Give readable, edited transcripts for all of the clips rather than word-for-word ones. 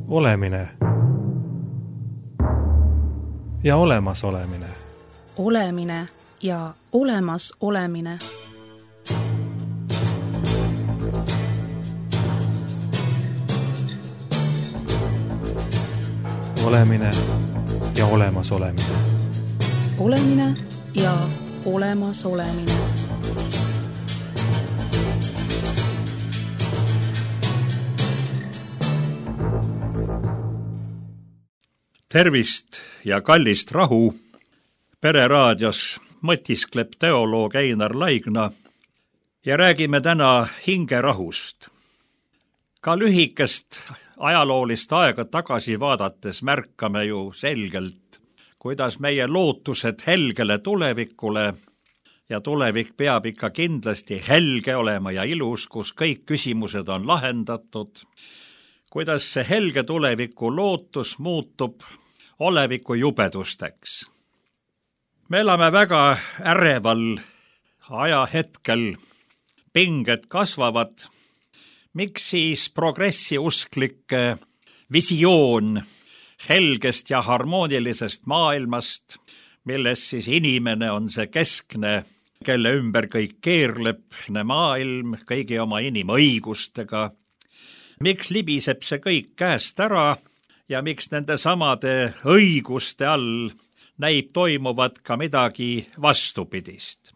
Olemine ja olemasolemine. Olemine ja olemas olemine. Olemine ja olemas olemine. Olemine ja olemas olemine. Tervist ja kallist rahu! Pereraadios mõtiskleb teoloog Einar Laigna ja räägime täna hingerahust. Ka lühikest ajaloolist aega tagasi vaadates märkame ju selgelt, kuidas meie lootused helgele tulevikule ja tulevik peab ikka kindlasti helge olema ja ilus, kus kõik küsimused on lahendatud, kuidas see helge tuleviku lootus muutub oleviku jubedusteks. Me elame väga äreval ajahetkel, pinged kasvavad. Miks siis progressiusklike visioon helgest ja harmoonilisest maailmast, milles siis inimene on see keskne, kelle ümber kõik keerleb, maailm kõigi oma inimõigustega? Miks libiseb see kõik käest ära ja miks nende samade õiguste all näib toimuvat ka midagi vastupidist?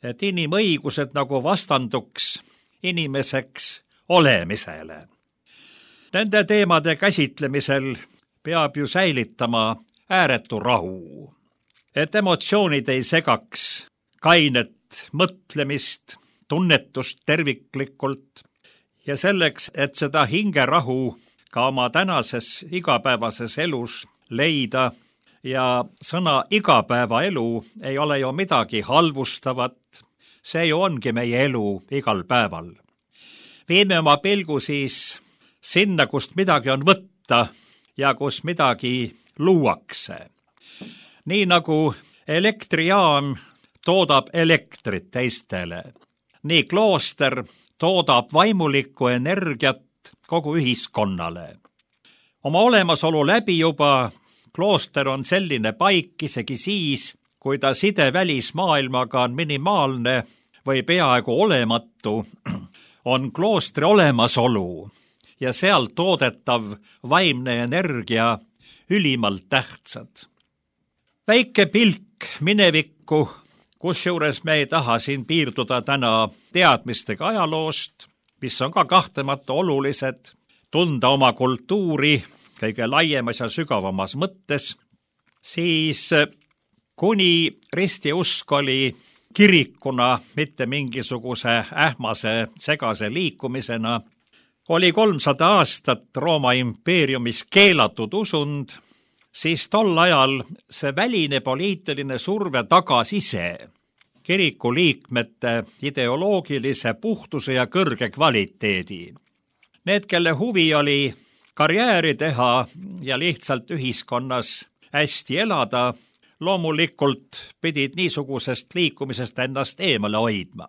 Et inimõigused nagu vastanduks inimeseks olemisele. Nende teemade käsitlemisel peab ju säilitama ääretu rahu, et emotsioonid ei segaks kainet mõtlemist, tunnetust terviklikult ja selleks, et seda hingerahu ka oma tänases igapäevases elus leida ja sõna igapäevaelu ei ole ju midagi halvustavat, see ju ongi meie elu igal päeval. Viime oma pilgu siis sinna, kust midagi on võtta ja kus midagi luuakse. Nii nagu elektrijaam toodab elektrit teistele, nii klooster toodab vaimulikku energiat kogu ühiskonnale. Oma olemasolu läbi juba klooster on selline paik isegi siis, kui ta side välismaailmaga on minimaalne või peaaegu olematu, on kloostri olemasolu ja seal toodetav vaimne energia ülimalt tähtsad. Väike pilk minevikku, kusjuures me ei taha siin piirduda täna teadmistega ajaloost, mis on ka kahtlemata olulised, tunda oma kultuuri kõige laiemas ja sügavamas mõttes, siis kuni ristiusk oli kirikuna, mitte mingisuguse ähmase segase liikumisena, oli 300 aastat Rooma impeeriumis keelatud usund, siis tol ajal see väline poliitiline surve tagas ise kiriku liikmete ideoloogilise puhtuse ja kõrge kvaliteedi. Need, kelle huvi oli karjääri teha ja lihtsalt ühiskonnas hästi elada, loomulikult pidid niisugusest liikumisest ennast eemale hoidma.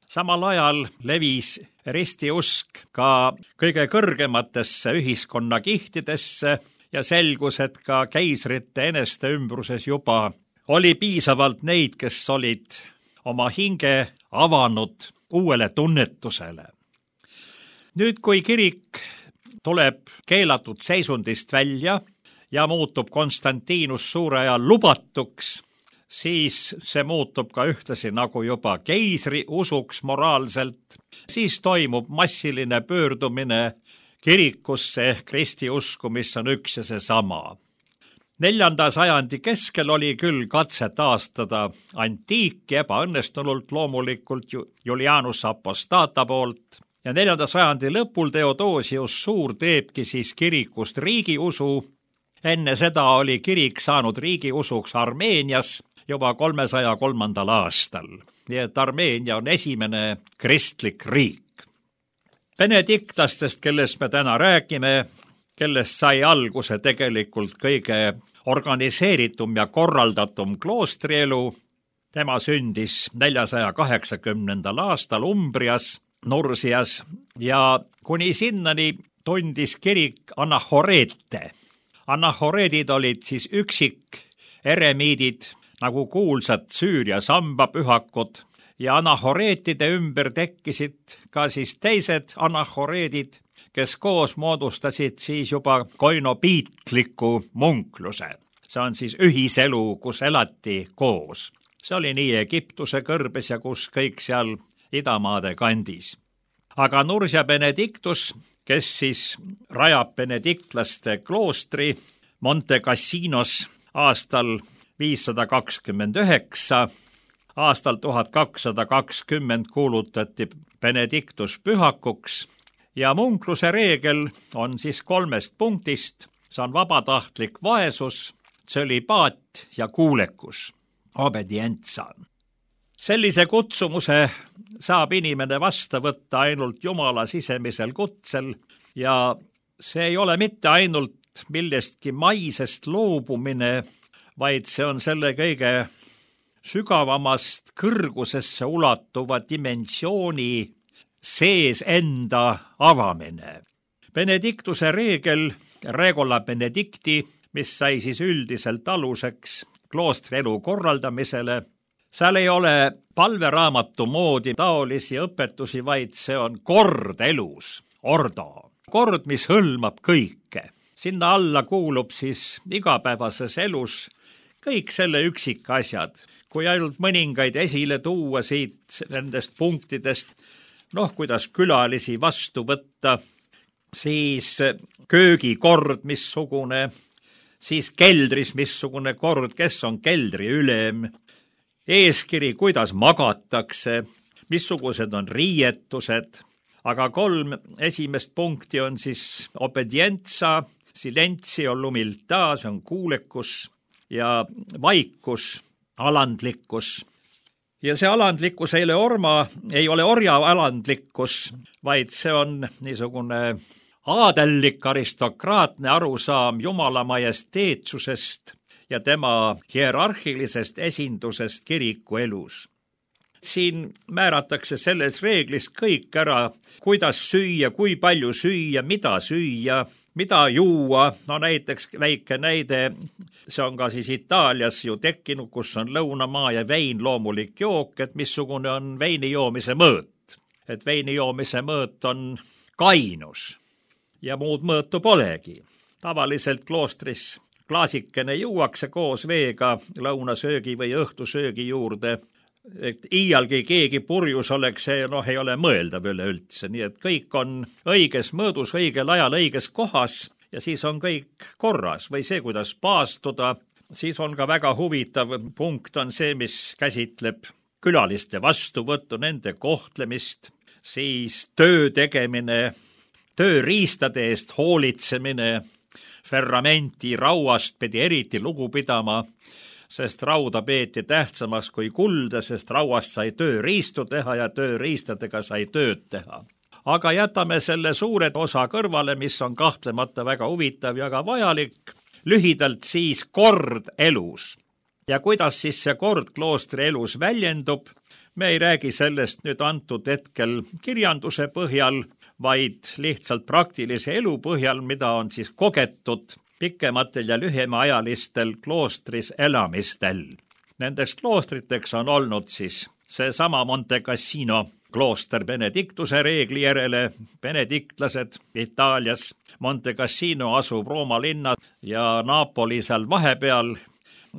Samal ajal levis ristiusk ka kõige kõrgematesse ühiskonnakihtidesse ja selgus, et ka keisrite eneste ümbruses juba oli piisavalt neid, kes olid oma hinge avanud uuele tunnetusele. Nüüd, kui kirik tuleb keelatud seisundist välja ja muutub Konstantinus suure ajal lubatuks, siis see muutub ka ühtlasi nagu juba keisri usuks moraalselt. Siis toimub massiline pöördumine kirikusse ehk ristiusku, mis on üks ja seesama. 4. sajandi keskel oli küll katse taastada antiiki ebaõnnestunult loomulikult Julianus Apostata poolt ja 4. sajandi lõpul Theodosius Suur teebki siis kirikust riigiusu. Enne seda oli kirik saanud riigiusuks Armeenias juba 303. aastal. Nii et Armeenia on esimene kristlik riik. Benediktlastest, kellest me täna räägime, kellest sai alguse tegelikult kõige organiseeritum ja korraldatum kloostrielu. Tema sündis 480. aastal Umbrias, Nursias ja kuni sinnani tundis kirik anahoreete. Anahoreedid olid siis üksik eremiidid, nagu kuulsad Süüria sambapühakud, ja anahoreetide ümber tekkisid ka siis teised anahoreedid, kes koos moodustasid siis juba koinopiitliku munkluse. See on siis ühiselu, kus elati koos. See oli nii Egiptuse kõrbes ja kus kõik seal idamaade kandis. Aga Nursia Benedictus, kes siis rajab benediktlaste kloostri Monte Cassinos aastal 529, aastal 1220 kuulutati Benedictus pühakuks ja munkluse reegel on siis 3 punktist. See on vabatahtlik vaesus, tsölibaat ja kuulekus, obedientsa. Sellise kutsumuse saab inimene vastu võtta ainult Jumala sisemisel kutsel ja see ei ole mitte ainult millestki maisest loobumine, vaid see on selle kõige sügavamast kõrgusesse ulatuva dimensiooni sees enda avamine. Benediktuse reegel, Regula Benedicti, mis sai siis üldiselt aluseks kloostri elu korraldamisele, seal ei ole palveraamatu moodi taolisi õpetusi, vaid see on kord elus, ordo. Kord, mis hõlmab kõike. Sinna alla kuulub siis igapäevases elus kõik selle üksikasjad. Kui ainult mõningaid esile tuua siit nendest punktidest, kuidas külalisi vastu võtta, siis köögikord missugune, siis keldris missugune kord, kes on keldri ülem, eeskiri, kuidas magatakse, missugused on riietused, aga 3 esimest punkti on siis obedientsa, silentio, lumilta, see on kuulekus ja vaikus, alandlikkus. Ja see alandlikkus ei ole orja alandlikkus, vaid see on niisugune aadellik aristokraatne arusaam Jumala majesteetsusest ja tema hierarhilisest esindusest kiriku elus. Siin määratakse selles reeglis kõik ära, kuidas süüa, kui palju süüa, mida juua. Näiteks väike näide, see on ka siis Itaalias ju tekkinud, kus on lõunamaa ja vein loomulik jook, et missugune on veini joomise mõõt. Et veini joomise mõõt on kainus ja muud mõõtu polegi. Tavaliselt kloostris klaasikene juuakse koos veega lõunasöögi või õhtusöögi juurde, et iialgi keegi purjus oleks, see ei ole mõeldav üleüldse, nii et kõik on õiges mõõdus, õigel ajal, õiges kohas ja siis on kõik korras või see, kuidas paastuda. Siis on ka väga huvitav punkt on see, mis käsitleb külaliste vastuvõttu, nende kohtlemist, siis töö tegemine, tööriistade eest hoolitsemine, ferramenti rauast pidi eriti lugu pidama, sest rauda peeti tähtsamaks kui kulda, sest rauast sai tööriistu teha ja tööriistadega sai tööd teha. Aga jätame selle suured osa kõrvale, mis on kahtlemata väga huvitav ja ka vajalik, lühidalt siis kord elus. Ja kuidas siis see kord kloostri elus väljendub, me ei räägi sellest nüüd antud hetkel kirjanduse põhjal, vaid lihtsalt praktilise elu põhjal, mida on siis kogetud pikematel ja lühemaajalistel kloostris elamistel. Nendeks kloostriteks on olnud siis seesama Monte Cassino klooster Benediktuse reegli järele, benediktlased Itaalias. Monte Cassino asub Rooma linna ja Napoli seal vahepeal.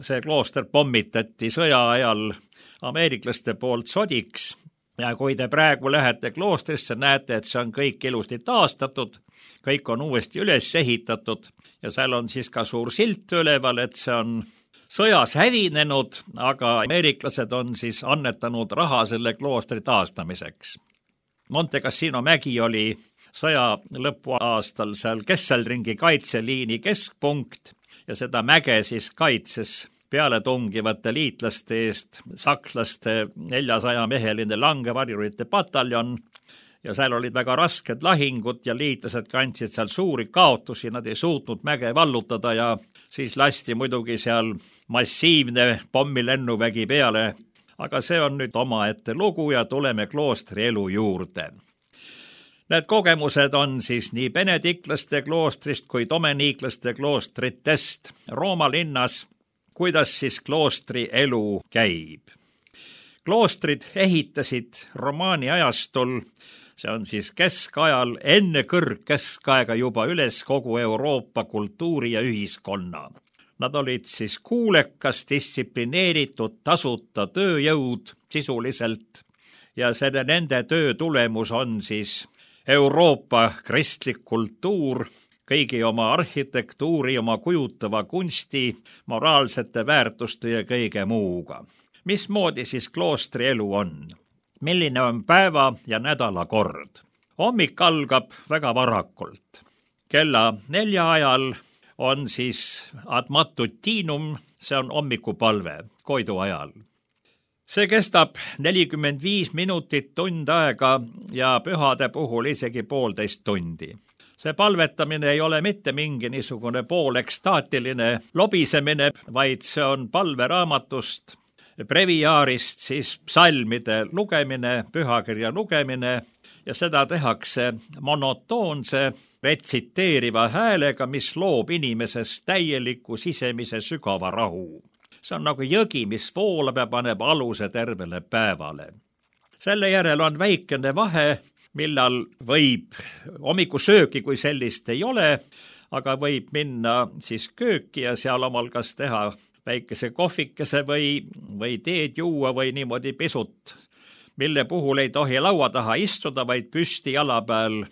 See klooster pommitati sõja ajal ameeriklaste poolt sodiks. Ja kui te praegu lähete kloostrisse, näete, et see on kõik ilusti taastatud, kõik on uuesti üles ehitatud ja seal on siis ka suur silt üleval, et see on sõjas hävinenud, aga ameeriklased on siis annetanud raha selle kloostri taastamiseks. Monte Cassino mägi oli sõja lõpuaastal seal Kesselringi kaitseliini keskpunkt ja seda mäge siis kaitses peale tungivate liitlaste eest sakslaste 400-meheline langevarjurite pataljon ja seal olid väga rasked lahingud ja liitlased kandsid seal suuri kaotusi, nad ei suutnud mäge vallutada ja siis lasti muidugi seal massiivne pommilennuvägi peale. Aga see on nüüd omaette lugu ja tuleme kloostri elu juurde. Need kogemused on siis nii benediklaste kloostrist kui dominiiklaste kloostritest Rooma linnas, kuidas siis kloostri elu käib. Kloostrid ehitasid romaani ajastul, see on siis keskajal, enne kõrgkeskaega juba üles kogu Euroopa kultuuri ja ühiskonna. Nad olid siis kuulekas, distsiplineeritud, tasuta tööjõud sisuliselt ja selle nende töö tulemus on siis Euroopa kristlik kultuur, kõigi oma arhitektuuri, oma kujutava kunsti, moraalsete väärtuste ja kõige muuga. Mismoodi siis kloostri elu on? Milline on päeva ja nädala kord? Hommik algab väga varakult. Kella 4 ajal on siis ad matutinum, see on hommikupalve, koidu ajal. See kestab 45 minutit, tund aega ja pühade puhul isegi 1,5 tundi. See palvetamine ei ole mitte mingi niisugune poolekstaatiline lobisemine, vaid see on palveraamatust, breviaarist, siis psalmide lugemine, pühakirja lugemine ja seda tehakse monotoonse, retsiteeriva häälega, mis loob inimesest täieliku sisemise sügava rahu. See on nagu jõgi, mis voolab ja paneb aluse tervele päevale. Selle järel on väikene vahe, millal võib hommikusööki, kui sellist ei ole, aga võib minna siis kööki ja seal omal kas teha väikese kohvikese või teed juua või niimoodi pisut, mille puhul ei tohi laua taha istuda, vaid püsti jala peal,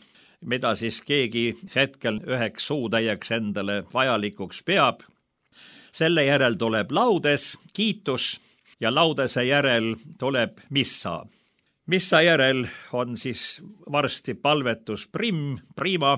mida siis keegi hetkel üheks suutäieks endale vajalikuks peab. Selle järel tuleb laudes, kiitus ja laudese järel tuleb missa. Missa järel on siis varsti palvetus prima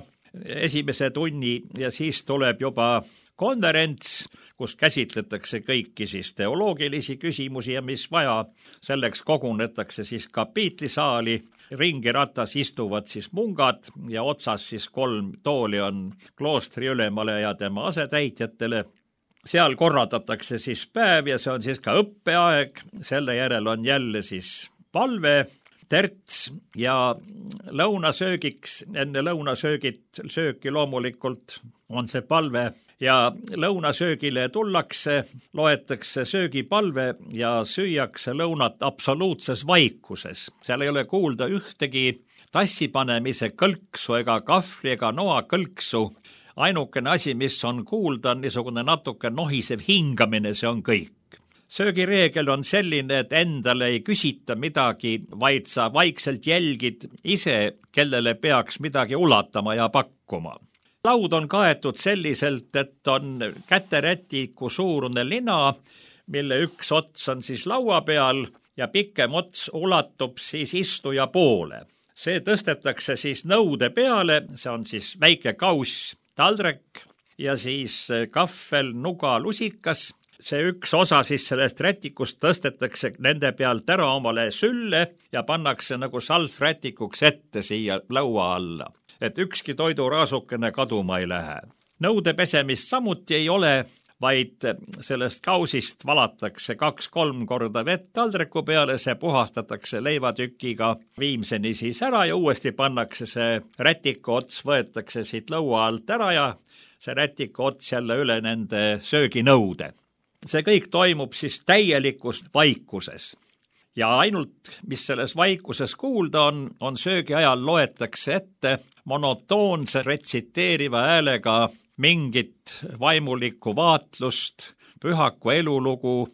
esimese tunni ja siis tuleb juba konverents, kus käsitletakse kõiki siis teoloogilisi küsimusi ja mis vaja. Selleks kogunetakse siis kapiitlisaali, ringiratas istuvad siis mungad ja otsas siis 3 tooli on kloostri ülemale ja tema asetäitjatele. Seal korraldatakse siis päev ja see on siis ka õppeaeg, selle järel on jälle siis palve, terts ja lõunasöögiks, enne lõunasööki loomulikult on see palve ja lõunasöögile tullakse, loetakse söögipalve ja süüakse lõunat absoluutses vaikuses. Seal ei ole kuulda ühtegi tassipanemise kõlksu ega kahvli ega noa kõlksu. Ainukene asi, mis on kuulda, on niisugune natuke nohisev hingamine, see on kõik. Söögireegel on selline, et endale ei küsita midagi, vaid sa vaikselt jälgid ise, kellele peaks midagi ulatama ja pakkuma. Laud on kaetud selliselt, et on käterätiku suurune lina, mille üks ots on siis laua peal ja pikem ots ulatub siis istuja poole. See tõstetakse siis nõude peale, see on siis väike kauss, taldrek ja siis kahvel, nuga, lusikas. See üks osa siis sellest rätikust tõstetakse nende pealt ära omale sülle ja pannakse nagu salvrätikuks ette siia laua alla, et ükski toiduraasukene kaduma ei lähe. Nõude pesemist samuti ei ole, vaid sellest kausist valatakse 2-3 korda vett taldriku peale, see puhastatakse leivatükiga viimseni siis ära ja uuesti pannakse see rätiku ots, võetakse siit laua alt ära ja see rätiku ots jälle üle nende sööginõude. See kõik toimub siis täielikus vaikuses. Ja ainult, mis selles vaikuses kuulda on söögi ajal loetakse ette monotoonse retsiteeriva häälega mingit vaimulikku vaatlust, pühaku elulugu,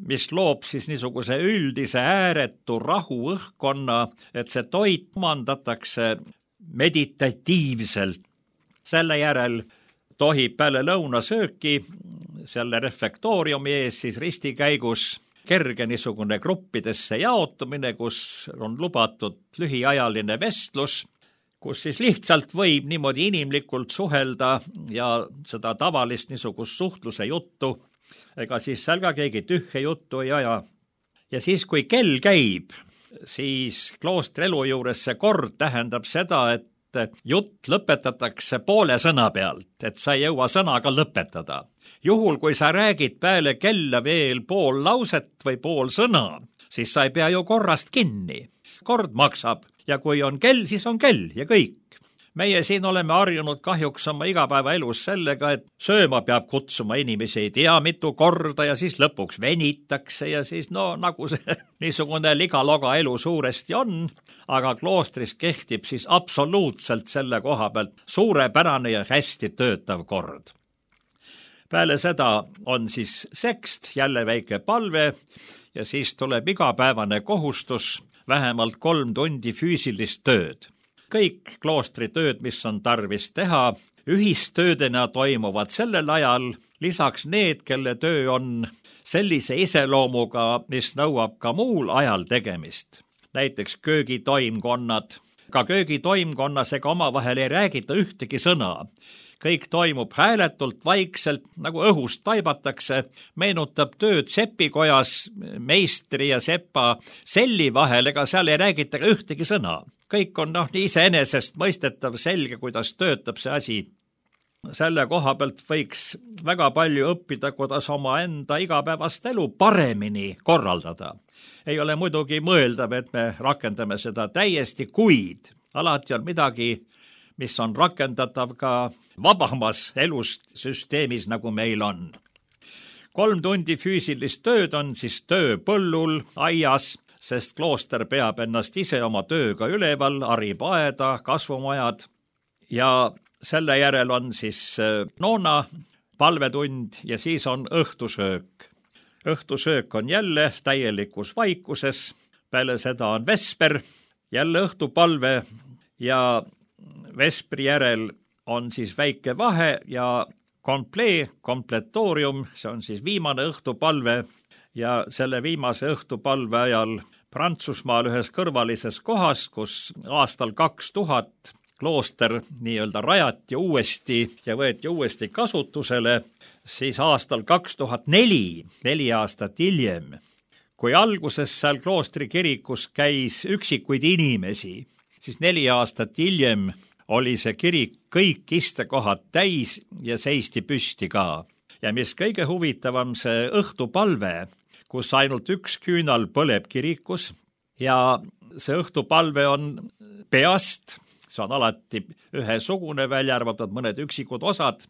mis loob siis niisuguse üldise ääretu rahu õhkkonna, et see toit omandatakse meditatiivselt. Selle järel tohib peale lõunasööki selle refektooriumi ees siis ristikäigus kerge niisugune gruppidesse jaotumine, kus on lubatud lühiajaline vestlus, kus siis lihtsalt võib niimoodi inimlikult suhelda ja seda tavalist niisugust suhtluse juttu, ega siis seal ka keegi tühje juttu ei aja. Ja siis, kui kell käib, siis kloostri elu juures see kord tähendab seda, et jutt lõpetatakse poole sõna pealt, et sa ei jõua sõnaga lõpetada. Juhul, kui sa räägid peale kella veel pool lauset või pool sõna, siis sa ei pea ju korrast kinni. kord maksab ja kui on kell, siis on kell ja kõik. Meie siin oleme harjunud kahjuks oma igapäevaelus sellega, et sööma peab kutsuma inimesi ei tea mitu korda ja siis lõpuks venitakse ja siis nagu see niisugune ligaloga elu suuresti on, aga kloostris kehtib siis absoluutselt selle koha pealt suurepärane ja hästi töötav kord. Peale seda on siis sekst, jälle väike palve ja siis tuleb igapäevane kohustus vähemalt 3 tundi füüsilist tööd. Kõik kloostritööd, mis on tarvis teha, ühistöödena toimuvad sellel ajal, lisaks need, kelle töö on sellise iseloomuga, mis nõuab ka muul ajal tegemist. Näiteks köögitoimkonnad. Ka köögitoimkonnas ega omavahel ei räägita ühtegi sõna. Kõik toimub hääletult, vaikselt, nagu õhust taibatakse, meenutab tööd sepikojas meistri ja sepa selli vahel, ega seal ei räägita ühtegi sõna. Kõik on nii iseenesest mõistetav, selge, kuidas töötab see asi. Selle koha pealt võiks väga palju õppida, kuidas oma enda igapäevast elu paremini korraldada. Ei ole muidugi mõeldav, et me rakendame seda täiesti, kuid alati on midagi, mis on rakendatav ka vabamas elust süsteemis, nagu meil on. 3 tundi füüsilist tööd on siis töö põllul, aias, sest klooster peab ennast ise oma tööga üleval, harib aeda, kasvumajad ja selle järel on siis noona, palvetund ja siis on õhtusöök. Õhtusöök on jälle täielikus vaikuses, peale seda on vesper, jälle õhtupalve ja vespri järel on siis väike vahe ja kompletoorium, see on siis viimane õhtupalve ja selle viimase õhtupalve ajal Prantsusmaal ühes kõrvalises kohas, kus aastal 2000 klooster nii-öelda rajati uuesti ja võeti uuesti kasutusele, siis aastal 2004, 4 aastat hiljem, kui alguses seal kloostri kirikus käis üksikuid inimesi, siis 4 aastat hiljem oli see kirik kõik istekohad täis ja seisti püsti ka. Ja mis kõige huvitavam, see õhtupalve, kus ainult üks küünal põleb kirikus ja see õhtupalve on peast, see on alati ühesugune, välja arvatud mõned üksikud osad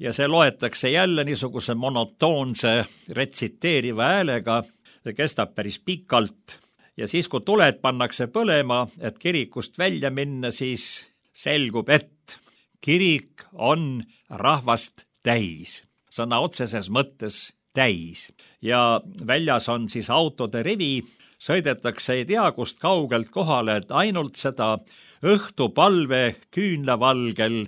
ja see loetakse jälle niisuguse monotoonse retsiteeriva häälega, see kestab päris pikalt ja siis, kui tuled pannakse põlema, et kirikust välja minna, siis selgub, et kirik on rahvast täis, sõna otseses mõttes täis ja väljas on siis autode rivi, sõidetakse ei tea kust kaugelt kohale, et ainult seda õhtupalve küünlavalgel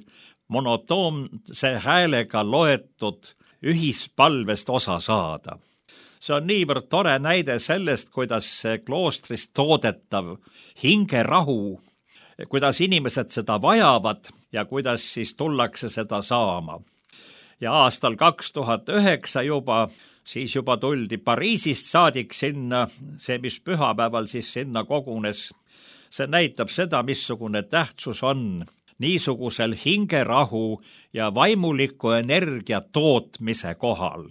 monotoonse häälega loetud ühispalvest osa saada. See on niivõrd tore näide sellest, kuidas kloostris toodetav hingerahu, kuidas inimesed seda vajavad ja kuidas siis tullakse seda saama. Ja aastal 2009 siis juba tuldi Pariisist saadik sinna, see, mis pühapäeval siis sinna kogunes. See näitab seda, missugune tähtsus on niisugusel hingerahu ja vaimuliku energia tootmise kohal.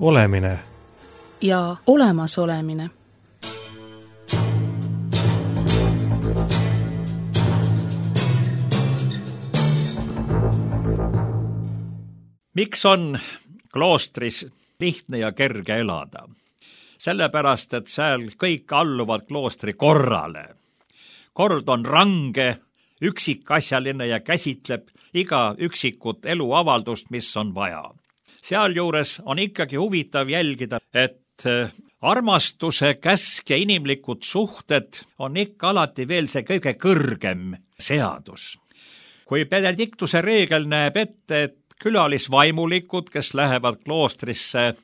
olemine ja olemasolemine. Miks on kloostris lihtne ja kerge elada? Sellepärast, et seal kõik alluvad kloostri korrale. Kord on range, üksikasjaline ja käsitleb iga üksikut eluavaldust, mis on vaja. Sealjuures on ikkagi huvitav jälgida, et armastuse käsk ja inimlikud suhted on ikka alati veel see kõige kõrgem seadus. Kui Benediktuse reegel näeb ette, et külalisvaimulikud, kes lähevad kloostrisse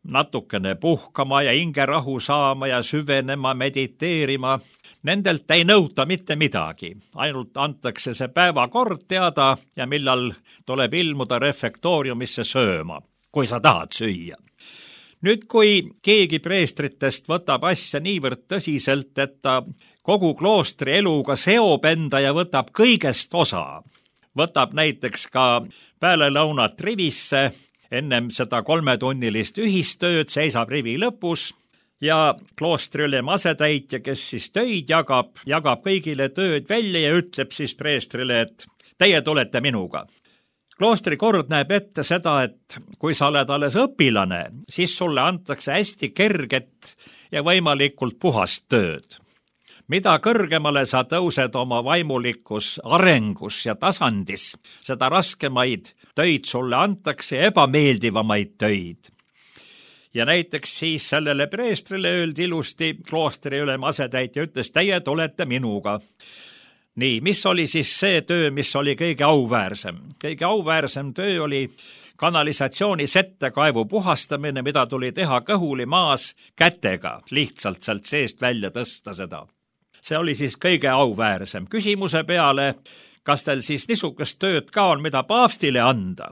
natukene puhkama ja hingerahu saama ja süvenema, mediteerima, nendelt ei nõuta mitte midagi. Ainult antakse see päevakord teada ja millal tuleb ilmuda refektooriumisse sööma, kui sa tahad süüa. Nüüd, kui keegi preestritest võtab asja niivõrd tõsiselt, et ta kogu kloostri eluga seob enda ja võtab kõigest osa, võtab näiteks ka pealelõunat rivisse, ennem seda 3-tunnilist ühistööd, seisab rivi lõpus ja kloostri ülem asetäitja, kes siis töid jagab kõigile tööd välja ja ütleb siis preestrile, et teie tulete minuga. Kloostri kord näeb ette seda, et kui sa oled alles õpilane, siis sulle antakse hästi kerget ja võimalikult puhast tööd. Mida kõrgemale sa tõused oma vaimulikus arengus ja tasandis, seda raskemaid töid sulle antakse ja ebameeldivamaid töid. Ja näiteks siis sellele preestrile öeldi ilusti, kloostri ülem asetäitja ütles, teie tulete minuga. Nii, mis oli siis see töö, mis oli kõige auväärsem? Kõige auväärsem töö oli kanalisatsiooni settekaevu puhastamine, mida tuli teha kõhuli maas kätega, lihtsalt sealt seest välja tõsta seda. See oli siis kõige auväärsem. Küsimuse peale, kas teil siis niisugust tööd ka on, mida paavstile anda?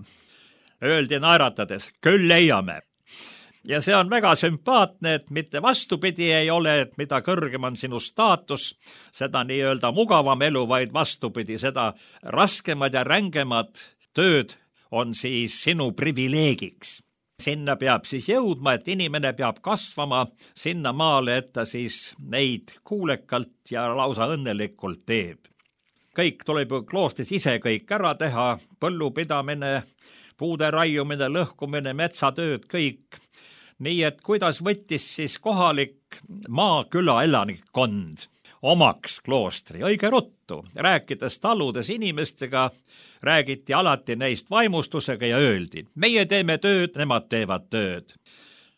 Öeldi naeratades, küll leiame. Ja see on väga sümpaatne, et mitte vastupidi ei ole, et mida kõrgem on sinu staatus, seda nii-öelda mugavam elu, vaid vastupidi, seda raskemad ja rängemad tööd on siis sinu privileegiks. Sinna peab siis jõudma, et inimene peab kasvama sinna maale, et ta siis neid kuulekalt ja lausa õnnelikult teeb. Kõik tuleb ju kloostris ise kõik ära teha, põllupidamine, puude raiumine, lõhkumine, metsatööd, kõik. Nii et kuidas võttis siis kohalik maaküla elanikkond omaks kloostri, õige ruttu, rääkides taludes inimestega, räägiti alati neist vaimustusega ja öeldi, meie teeme tööd, nemad teevad tööd.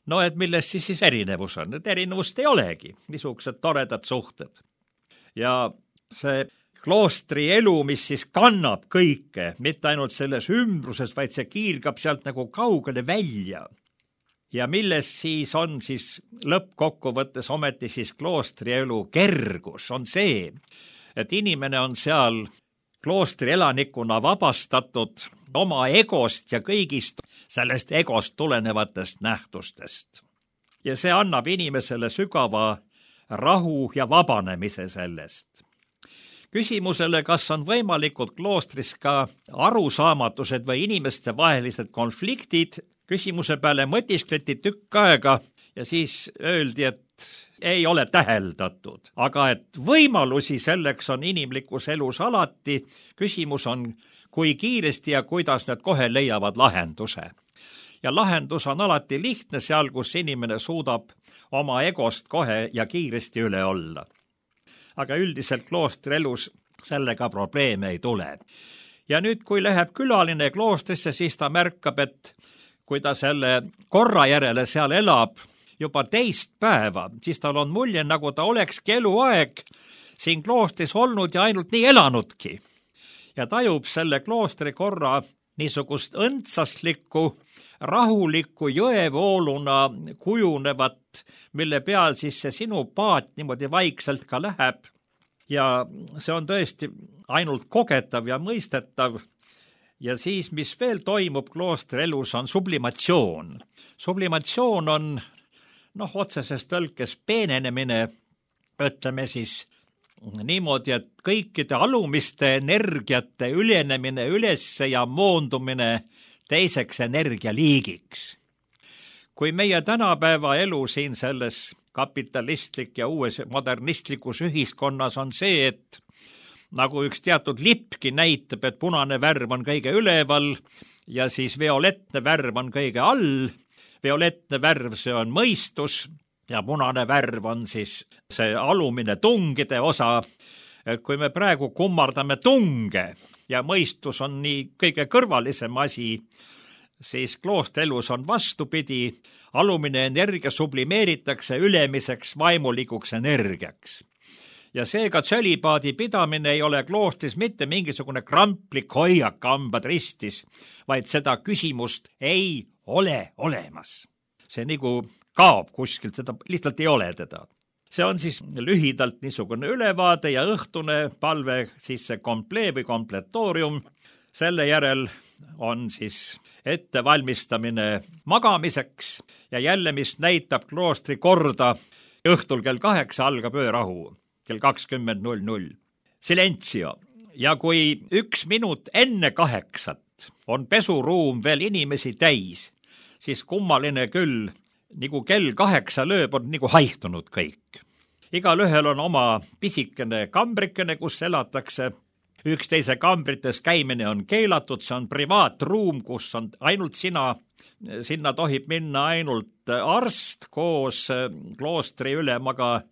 No et milles siis erinevus on? Et erinevust ei olegi, niisugused toredad suhted. Ja see kloostri elu, mis siis kannab kõike, mitte ainult selles ümbruses, vaid see kiirgab sealt nagu kaugele välja. Ja milles siis on siis lõppkokkuvõttes ometi siis kloostri elu kergus, on see, et inimene on seal kloostri elanikuna vabastatud oma egost ja kõigist sellest egost tulenevatest nähtustest. Ja see annab inimesele sügava rahu ja vabanemise sellest. Küsimusele, kas on võimalikud kloostris ka arusaamatused või inimeste vahelised konfliktid, küsimuse peale mõtiskleti tükk aega ja siis öeldi, et ei ole täheldatud, aga et võimalusi selleks on inimlikus elus alati. Küsimus on, kui kiiresti ja kuidas need kohe leiavad lahenduse. Ja lahendus on alati lihtne seal, kus inimene suudab oma egost kohe ja kiiresti üle olla. Aga üldiselt kloostri elus sellega probleeme ei tule. Ja nüüd, kui läheb külaline kloostrisse, siis ta märkab, et kui ta selle korra järele seal elab juba teist päeva, siis tal on mulje, nagu ta olekski eluaeg siin kloostris olnud ja ainult nii elanudki. Ja tajub selle kloostri korra niisugust õndsaslikku, rahulikku jõevooluna kujunevat, mille peal siis see sinu paat niimoodi vaikselt ka läheb. Ja see on tõesti ainult kogetav ja mõistetav. Ja siis, mis veel toimub kloostri elus, on sublimatsioon. Sublimatsioon on, otseses tõlkes peenenemine, ütleme siis niimoodi, et kõikide alumiste energiate ülenemine ülesse ja moondumine teiseks energialiigiks. kui meie tänapäeva elu siin selles kapitalistlik ja uues modernistlikus ühiskonnas on see, et nagu üks teatud lipki näitab, et punane värv on kõige üleval ja siis violettne värv on kõige all. Violettne värv, see on mõistus ja punane värv on siis see alumine tungide osa. Et kui me praegu kummardame tunge ja mõistus on nii kõige kõrvalisem asi, siis kloostrielus on vastupidi, alumine energia sublimeeritakse ülemiseks vaimulikuks energiaks. Ja seega tsölibaadi pidamine ei ole kloostris mitte mingisugune kramplik hoiak hambad ristis, vaid seda küsimust ei ole olemas. See nagu kaob kuskilt, seda lihtsalt ei ole teda. See on siis lühidalt niisugune ülevaade ja õhtune palve, siis see komplee või kompletoorium. Selle järel on siis ettevalmistamine magamiseks ja jälle, mis näitab kloostri korda, õhtul kell 8 algab öörahu, kell 20:00. Silentio. Ja kui 1 minut enne 8 on pesuruum veel inimesi täis, siis kummaline küll, nagu kell 8 lööb, on nagu haihtunud kõik. Igal ühel on oma pisikene kambrikene, kus elatakse. Üksteise kambrites käimine on keelatud, see on privaatruum, kus on ainult sina. Sinna tohib minna ainult arst koos kloostri ülemaga,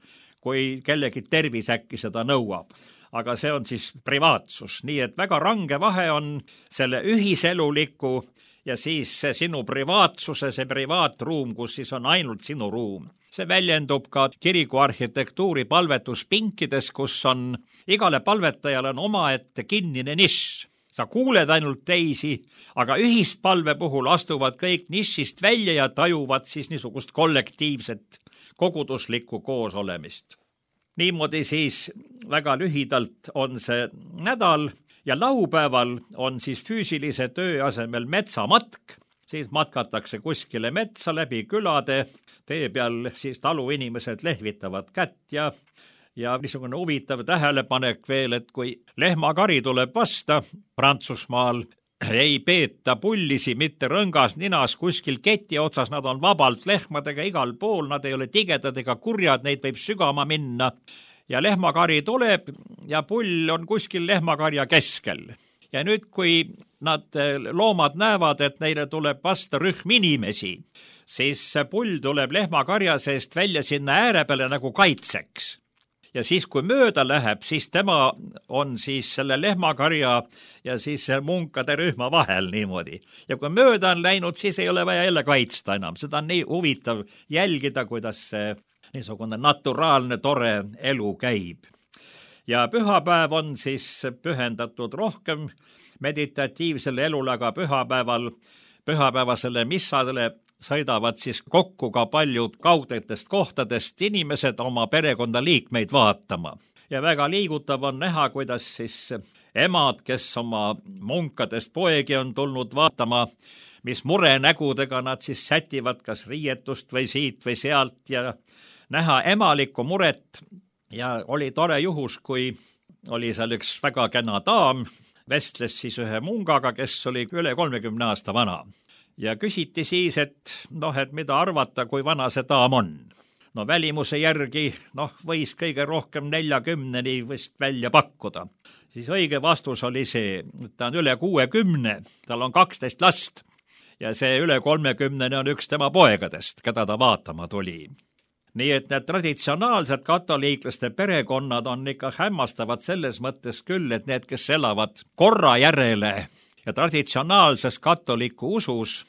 kui kellegi tervis äkki seda nõuab. Aga see on siis privaatsus, nii et väga range vahe on selle ühiseluliku ja siis see sinu privaatsuse, see privaatruum, kus siis on ainult sinu ruum. See väljendub ka kiriku arhitektuuri palvetuspinkides, kus on igale palvetajale on omaette kinnine nišš. Sa kuuled ainult teisi, aga ühispalve puhul astuvad kõik nišist välja ja tajuvad siis niisugust kollektiivset koguduslikku koosolemist. Niimoodi siis väga lühidalt on see nädal ja laupäeval on siis füüsilise töö asemel metsamatk. Siis matkatakse kuskile metsa läbi külade, tee peal siis taluinimesed lehvitavad kätt ja niisugune huvitav tähelepanek veel, et kui lehmakari tuleb vasta Prantsusmaal, ei peeta pullisi mitte rõngas ninas kuskil keti otsas, nad on vabalt lehmadega igal pool, nad ei ole tigedad ega kurjad, neid võib sügama minna. Ja lehmakari tuleb ja pull on kuskil lehmakarja keskel. Ja nüüd, kui nad loomad näevad, et neile tuleb vasta rühm inimesi, siis pull tuleb lehmakarja seest välja sinna ääre peale nagu kaitseks. Ja siis, kui mööda läheb, siis tema on siis selle lehmakarja ja siis munkade rühma vahel niimoodi. Ja kui mööda on läinud, siis ei ole vaja jälle kaitsta enam. Seda on nii huvitav jälgida, kuidas see niisugune naturaalne, tore elu käib. Ja pühapäev on siis pühendatud rohkem meditatiivsele elule, aga pühapäevasele missale sõidavad siis kokku ka paljud kaudetest kohtadest inimesed oma perekonda liikmeid vaatama. Ja väga liigutav on näha, kuidas siis emad, kes oma munkadest poegi on tulnud vaatama, mis murenägudega nad siis sätivad kas riietust või siit või sealt ja näha emalikku muret. Ja oli tore juhus, kui oli seal üks väga kena daam, vestles siis ühe mungaga, kes oli üle 30 aasta vana. Ja küsiti siis, et mida arvata, kui vana see daam on. Välimuse järgi võis kõige rohkem 40-ni vist välja pakkuda. Siis õige vastus oli see, et ta on üle 60, tal on 12 last ja see üle 30 on üks tema poegadest, keda ta vaatama tuli. Nii et need traditsionaalsed katoliiklaste perekonnad on ikka hämmastavad selles mõttes küll, et need, kes elavad korra järele ja traditsionaalses katoliku usus,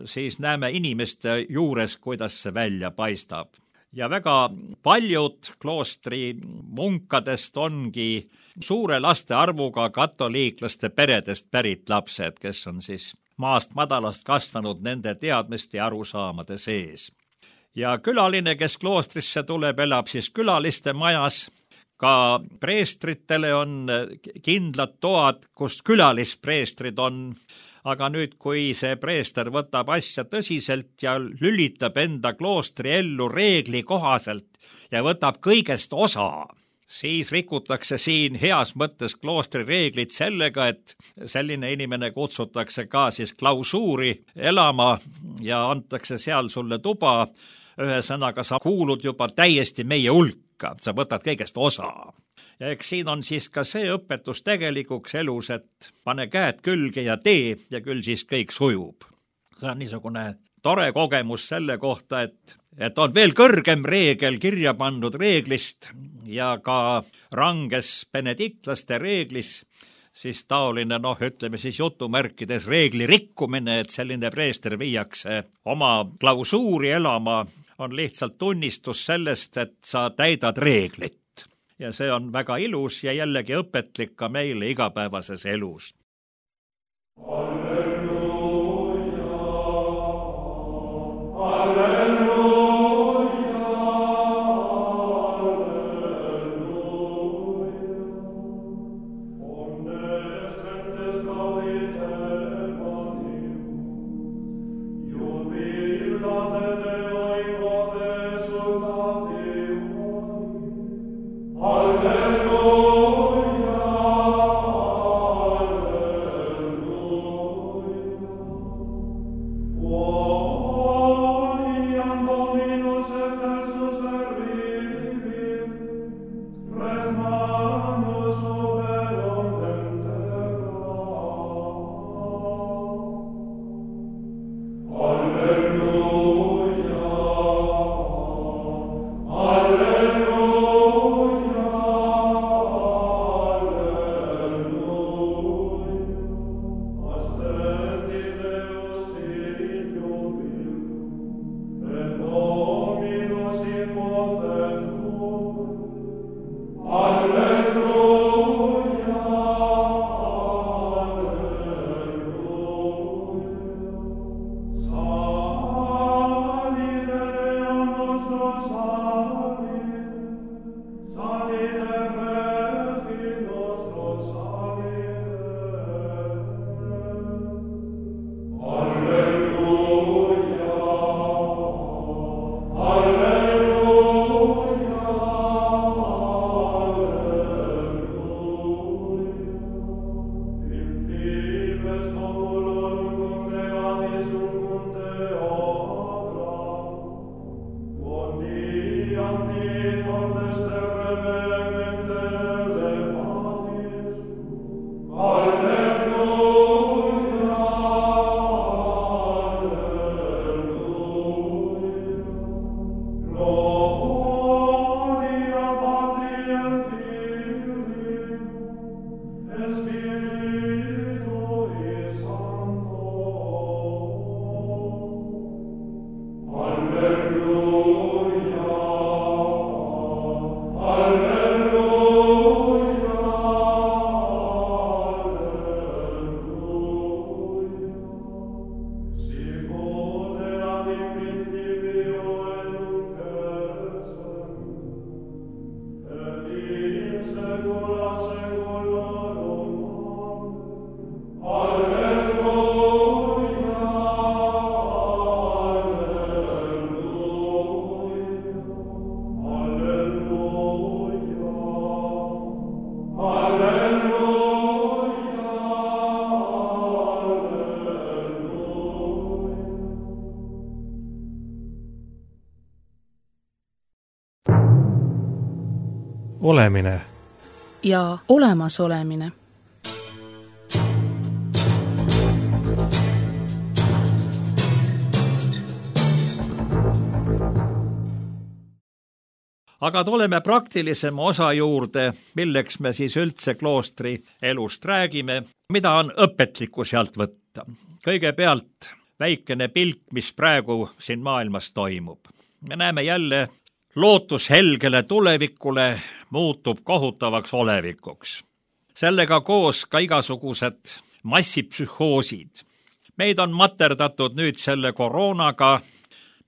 siis näeme inimeste juures, kuidas see välja paistab. Ja väga paljud kloostri munkadest ongi suure laste arvuga katoliiklaste peredest pärit lapsed, kes on siis maast madalast kasvanud nende teadmiste ja arusaamade sees. Ja külaline, kes kloostrisse tuleb, elab siis külaliste majas. Ka preestritele on kindlad toad, kus külalispreestrid on. Aga nüüd, kui see preester võtab asja tõsiselt ja lülitab enda kloostri ellu reegli kohaselt ja võtab kõigest osa, siis rikutakse siin heas mõttes kloostri reeglid sellega, et selline inimene kutsutakse ka siis klausuuri elama ja antakse seal sulle tuba. Ühesõnaga, sa kuulud juba täiesti meie hulka, sa võtad kõigest osa. Ja eks siin on siis ka see õpetus tegelikuks elus, et pane käed külge ja tee ja küll siis kõik sujub. See on niisugune tore kogemus selle kohta, et on veel kõrgem reegel kirja pandud reeglist ja ka ranges benediktlaste reeglis, siis taoline, ütleme siis jutumärkides reegli rikkumine, et selline preester viiakse oma klausuuri elama, on lihtsalt tunnistus sellest, et sa täidad reeglit. Ja see on väga ilus ja jällegi õpetlik ka meile igapäevases elus. Halleluuja, halleluuja. Olemine ja olemasolemine. Aga tuleme praktilisema osa juurde, milleks me siis üldse kloostri elust räägime, mida on õpetlikku sealt võtta. Kõigepealt väikene pilk, mis praegu siin maailmas toimub. Me näeme jälle, lootus helgele tulevikule muutub kohutavaks olevikuks. Sellega koos ka igasugused massipsühhoosid. Meid on materdatud nüüd selle koroonaga,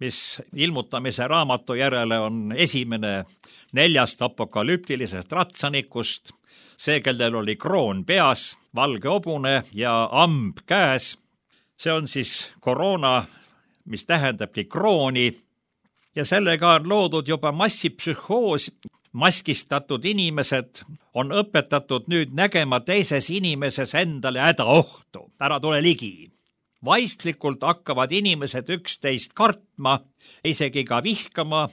mis ilmutamise raamatu järele on esimene 4 apokalüptilisest ratsanikust, see, kellel oli kroon peas, valge hobune ja amb käes. See on siis koroona, mis tähendabki krooni, ja sellega on loodud juba massipsühhoos maskistatud inimesed on õpetatud nüüd nägema teises inimeses endale hädaohtu. Ära tule ligi. Vaistlikult hakkavad inimesed üksteist kartma, isegi ka vihkama,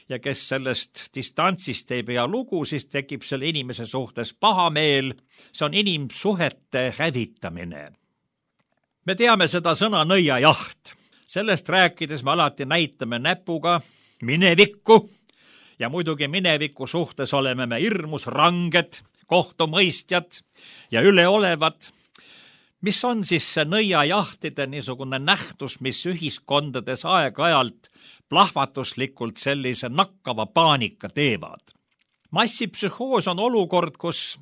ja kes sellest distantsist ei pea lugu, siis tekib selle inimese suhtes pahameel. See on inimsuhete hävitamine. Me teame seda sõna nõiajaht. Sellest rääkides me alati näitame näpuga minevikku ja muidugi mineviku suhtes oleme me hirmus ranged, kohtumõistjad ja üleolevad. Mis on siis see nõiajahtide niisugune nähtus, mis ühiskondades aeg-ajalt plahvatuslikult sellise nakkava paanika teevad? Massipsühhoos on olukord, kus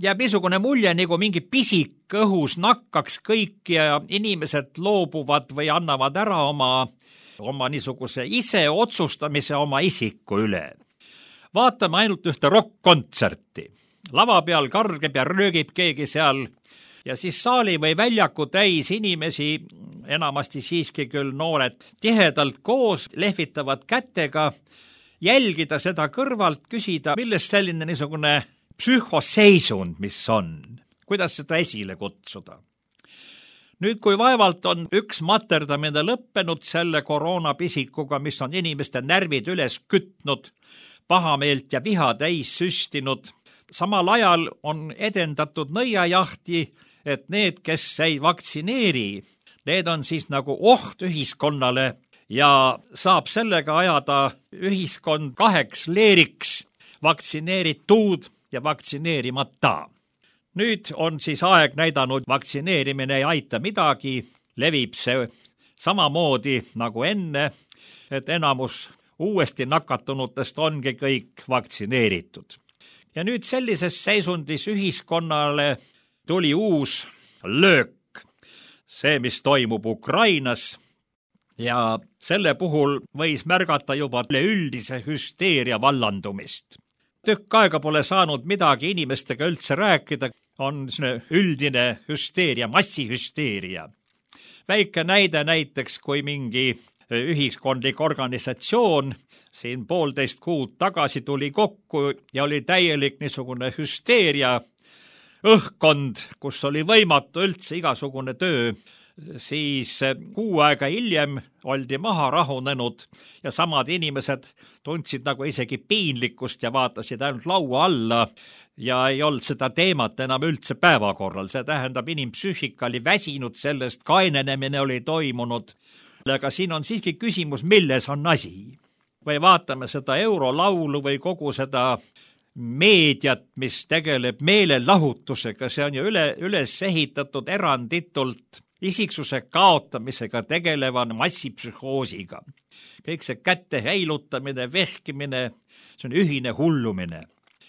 jääb niisugune mulje, nagu mingi pisik õhus nakkaks kõik ja inimesed loobuvad või annavad ära oma niisuguse ise otsustamise oma isiku üle. Vaatame ainult ühte rock-kontserti. Lava peal kargeb ja röögib keegi seal ja siis saali või väljaku täis inimesi, enamasti siiski küll noored, tihedalt koos lehvitavad kätega, jälgida seda kõrvalt, küsida, millest selline niisugune psühhoseisund, mis on, kuidas seda esile kutsuda. Nüüd, kui vaevalt on üks materdamine lõppenud selle koroonapisikuga, mis on inimeste närvid üles kütnud, pahameelt ja viha täis süstinud, samal ajal on edendatud nõiajahti, et need, kes ei vaktsineeri, need on siis nagu oht ühiskonnale ja saab sellega ajada ühiskond kaheks leeriks, vaktsineeritud ja vaktsineerimata. Nüüd on siis aeg näidanud, vaktsineerimine ei aita midagi, levib see samamoodi nagu enne, et enamus uuesti nakatunutest ongi kõik vaktsineeritud. Ja nüüd sellises seisundis ühiskonnale tuli uus löök, see, mis toimub Ukrainas, ja selle puhul võis märgata juba üleüldise hüsteeria vallandumist. Tükk aega pole saanud midagi inimestega üldse rääkida, on üldine hüsteeria, massihüsteeria. Väike näide näiteks, kui mingi ühiskondlik organisatsioon siin 1,5 kuud tagasi tuli kokku ja oli täielik niisugune hüsteeria õhkkond, kus oli võimatu üldse igasugune töö, siis 6 aega hiljem oldi maha rahunenud ja samad inimesed tundsid nagu isegi piinlikkust ja vaatasid ainult laua alla ja ei olnud seda teemat enam üldse päevakorral. See tähendab, inimpsüühika oli väsinud sellest, kainenemine oli toimunud. Aga siin on siiski küsimus, milles on asi. Või vaatame seda eurolaulu või kogu seda meediat, mis tegeleb meelelahutusega, see on ju üles ehitatud eranditult isiksuse kaotamisega tegelevan massipsühhoosiga. Kõik see kätte heilutamine, vehkimine, see on ühine hullumine.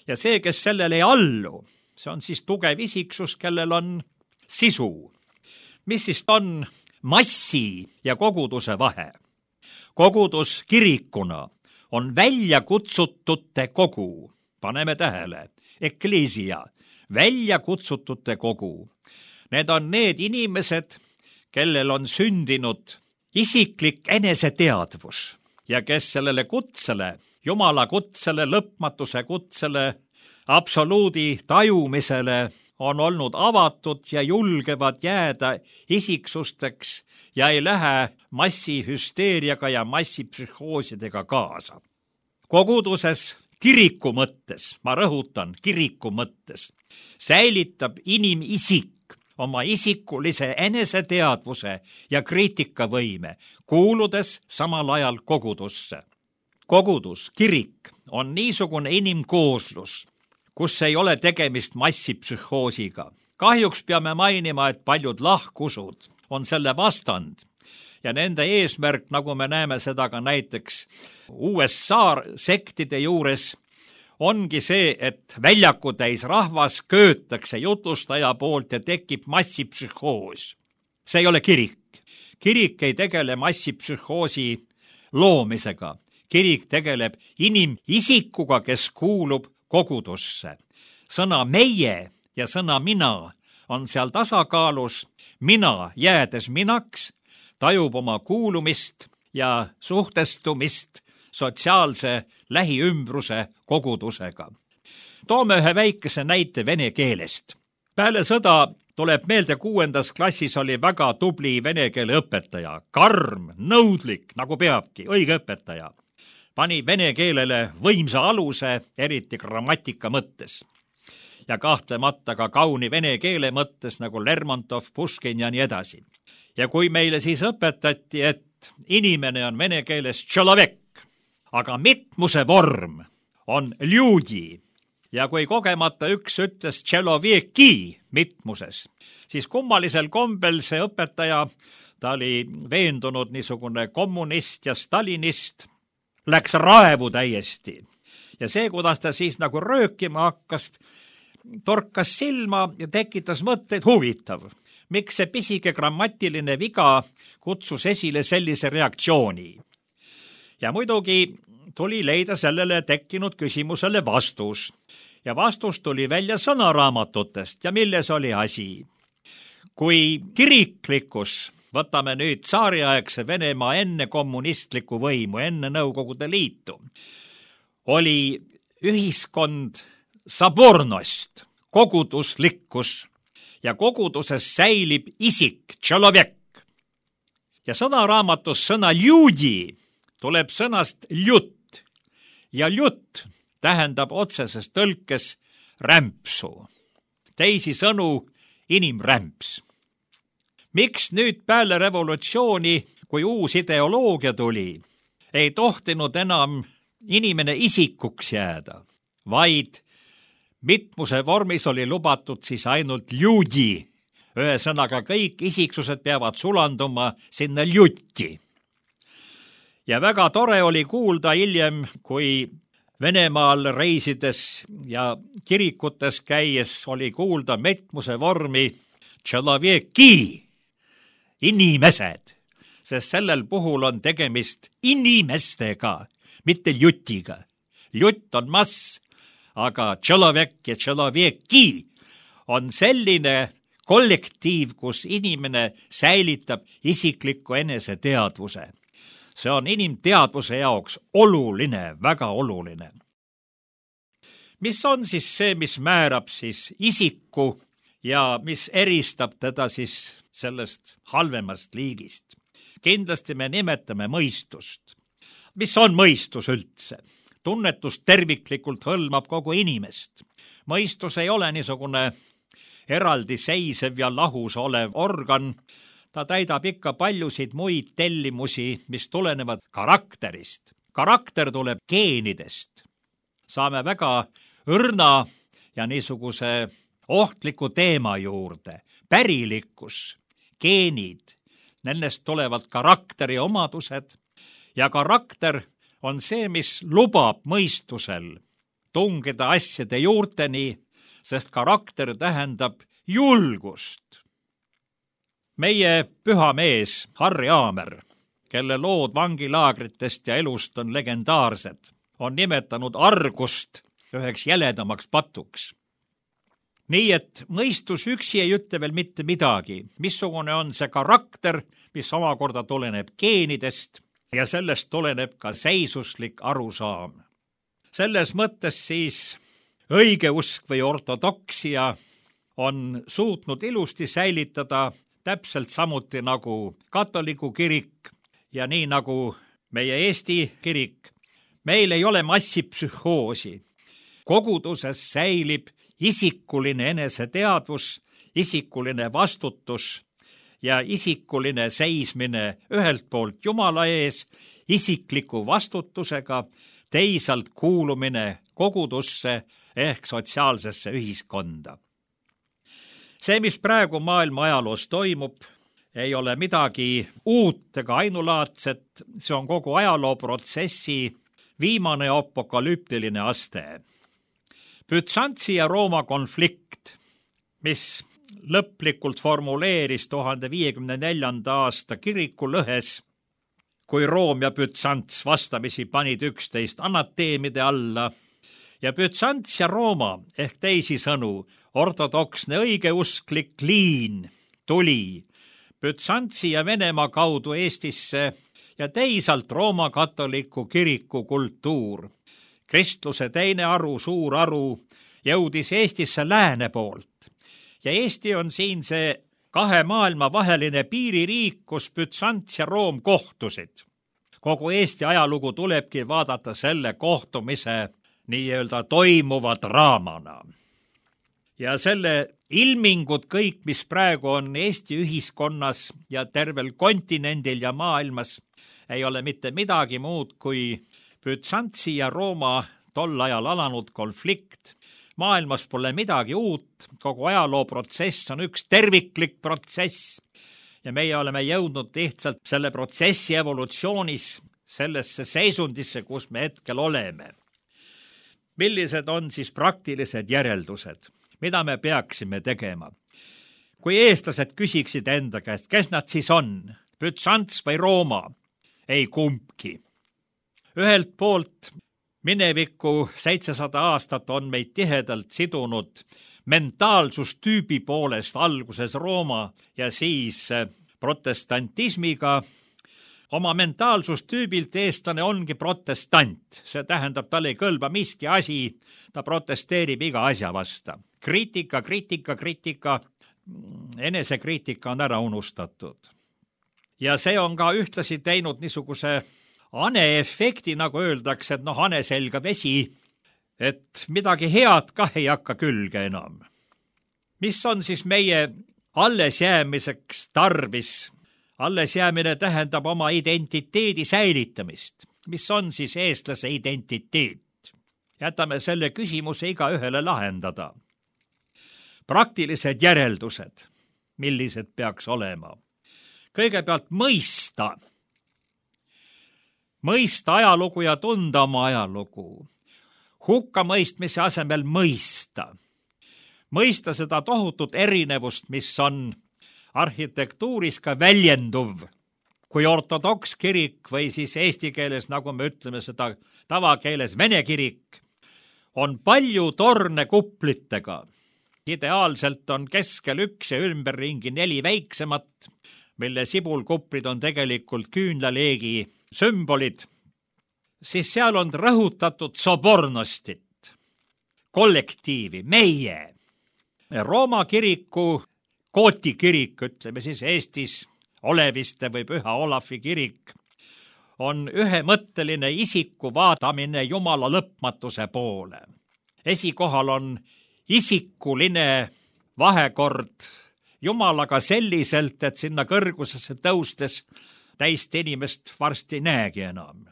Ja see, kes sellele ei allu, see on siis tugev isiksus, kellel on sisu. Mis siis on massi ja koguduse vahe? Kogudus kirikuna on väljakutsutute kogu. Paneme tähele, ekleesia, väljakutsutute kogu. Need on need inimesed, kellel on sündinud isiklik eneseteadvus ja kes sellele kutsele, Jumala kutsele, lõpmatuse kutsele, absoluudi tajumisele on olnud avatud ja julgevad jääda isiksusteks ja ei lähe massihüsteeriaga ja massipsühhoosidega kaasa. Koguduses kiriku mõttes, ma rõhutan, kiriku mõttes, säilitab inimisik oma isikulise eneseteadvuse ja kriitikavõime, kuuludes samal ajal kogudusse. Kogudus, kirik on niisugune inimkooslus, kus ei ole tegemist massipsühhoosiga. Kahjuks peame mainima, et paljud lahkusud on selle vastand ja nende eesmärk, nagu me näeme seda ka näiteks USA sektide juures, ongi see, et väljaku täis rahvas köötakse jutlustaja poolt ja tekib massipsühhoos. See ei ole kirik. Kirik ei tegele massipsühhoosi loomisega. Kirik tegeleb inimisikuga, kes kuulub kogudusse. Sõna meie ja sõna mina on seal tasakaalus. Mina, jäädes minaks, tajub oma kuulumist ja suhtestumist sotsiaalse lähiümbruse kogudusega. Toome ühe väikese näite vene keelest. Peale sõda tuleb meelde, 6. klassis oli väga tubli vene keele õpetaja, karm, nõudlik, nagu peabki, õige õpetaja. Pani vene keelele võimsa aluse, eriti grammatika mõttes. Ja kahtlemata ka kauni vene keele mõttes, nagu Lermontov, Puškin ja nii edasi. Ja kui meile siis õpetati, et inimene on vene keeles tšelovek, aga mitmuse vorm on ljudi, ja kui kogemata üks ütles tšeloveki mitmuses, siis kummalisel kombel see õpetaja, ta oli veendunud niisugune kommunist ja stalinist, läks raevu täiesti. Ja see, kuidas ta siis nagu röökima hakkas, torkas silma ja tekitas mõtteid, huvitav. Miks see pisike grammatiline viga kutsus esile sellise reaktsiooni? Ja muidugi tuli leida sellele tekkinud küsimusele vastus. Ja vastus tuli välja sõnaraamatutest ja milles oli asi. Kui kiriklikkus, võtame nüüd tsaariaegse Venemaa enne kommunistlikku võimu, enne Nõukogude Liitu, oli ühiskond sabornost, koguduslikkus, ja koguduses säilib isik, tšelovek. Ja sõnaraamatus sõna ljudi tuleb sõnast ljut, ja ljut tähendab otseses tõlkes rämpsu. Teisisõnu inimrämps. Miks nüüd peale revolutsiooni, kui uus ideoloogia tuli, ei tohtinud enam inimene isikuks jääda, vaid mitmuse vormis oli lubatud siis ainult ljudi. Ühesõnaga kõik isiksused peavad sulanduma sinna ljutti. Ja väga tore oli kuulda hiljem, kui Venemaal reisides ja kirikutes käies oli kuulda mitmuse vormi tšeloveki, inimesed, sest sellel puhul on tegemist inimestega, mitte ljutiga. Ljutt on mass, aga tšelovek ja tšeloveki on selline kollektiiv, kus inimene säilitab isikliku eneseteadvuse. See on inimteadvuse jaoks oluline, väga oluline. Mis on siis see, mis määrab siis isiku ja mis eristab teda siis sellest halvemast liigist? Kindlasti me nimetame mõistust. Mis on mõistus üldse? Tunnetus terviklikult hõlmab kogu inimest. Mõistus ei ole niisugune eraldiseisev ja lahus olev organ. Ta täidab ikka paljusid muid tellimusi, mis tulenevad karakterist. Karakter tuleb geenidest. Saame väga õrna ja niisuguse ohtliku teema juurde. Pärilikkus, geenid, nendest tulevad karakteri omadused ja karakter on see, mis lubab mõistusel tungida asjade juurteni, sest karakter tähendab julgust. Meie püha mees Harri Aamer, kelle lood vangilaagritest ja elust on legendaarsed, on nimetanud argust üheks jäledamaks patuks. Nii et mõistus üksi ei ütle veel mitte midagi, missugune on see karakter, mis omakorda tuleneb geenidest ja sellest tuleneb ka seisuslik arusaam. Selles mõttes siis õigeusk või ortodoksia on suutnud ilusti säilitada täpselt samuti nagu katoliku kirik ja nii nagu meie Eesti kirik. Meil ei ole massipsühhoosi. Koguduses säilib isikuline eneseteadvus, isikuline vastutus ja isikuline seismine ühelt poolt Jumala ees, isikliku vastutusega, teisalt kuulumine kogudusse ehk sotsiaalsesse ühiskonda. See, mis praegu maailma ajaloos toimub, ei ole midagi uut ega ainulaadset, see on kogu ajalooprotsessi viimane apokalüptiline aste. Bütsantsi ja Rooma konflikt, mis lõplikult formuleeris 1054. aasta kirikulõhes, kui Room ja Bütsants vastamisi panid 11 anateemide alla, ja Bütsants ja Rooma ehk teisisõnu ortodoksne õigeusklik liin tuli Bütsantsi ja Venemaa kaudu Eestisse ja teisalt Rooma katoliku kiriku kultuur. Kristluse teine aru, suur aru, jõudis Eestisse lääne poolt ja Eesti on siin see kahe maailma vaheline piiririik, kus Bütsants ja Room kohtusid. Kogu Eesti ajalugu tulebki vaadata selle kohtumise nii-öelda toimuva draamana. Ja selle ilmingud kõik, mis praegu on Eesti ühiskonnas ja tervel kontinendil ja maailmas, ei ole mitte midagi muud kui Bütsantsi ja Rooma tol ajal alanud konflikt. Maailmas pole midagi uut, kogu ajalooprotsess on üks terviklik protsess ja meie oleme jõudnud lihtsalt selle protsessi evolutsioonis sellesse seisundisse, kus me hetkel oleme. Millised on siis praktilised järeldused? Mida me peaksime tegema? Kui eestlased küsiksid enda käest, kes nad siis on, Bütsants või Rooma? Ei kumbki. Ühelt poolt mineviku 700 aastat on meid tihedalt sidunud mentaalsustüübi poolest alguses Rooma ja siis protestantismiga. Oma mentaalsustüübilt eestlane ongi protestant. See tähendab, tal ei kõlba miski asi, ta protesteerib iga asja vasta. Kriitika, enesekriitika on ära unustatud. Ja see on ka ühtlasi teinud niisuguse haneefekti, nagu öeldakse, et hane selga vesi, et midagi head kah ei hakka külge enam. Mis on siis meie allesjäämiseks tarvis? Allesjäämine tähendab oma identiteedi säilitamist. Mis on siis eestlase identiteet? Jätame selle küsimuse igaühele lahendada. Praktilised järeldused, millised peaks olema? Kõigepealt mõista ajalugu ja tunda oma ajalugu. Hukkamõistmise asemel mõista. Mõista seda tohutut erinevust, mis on arhitektuuris ka väljenduv. Kui ortodoks kirik või siis eesti keeles, nagu me ütleme seda tavakeeles, vene kirik, on palju torne kuplitega. Ideaalselt on keskel üks ja ümberringi 4 väiksemat, mille sibulkuprid on tegelikult küünlaleegi sümbolid, siis seal on rõhutatud sobornostit, kollektiivi, meie. Rooma kiriku, Kooti kirik, ütleme siis Eestis Oleviste või Püha Olavi kirik, on ühemõtteline isiku vaatamine Jumala lõpmatuse poole. Esikohal on isikuline vahekord Jumalaga selliselt, et sinna kõrgusesse tõustes täist inimest varsti ei näegi enam.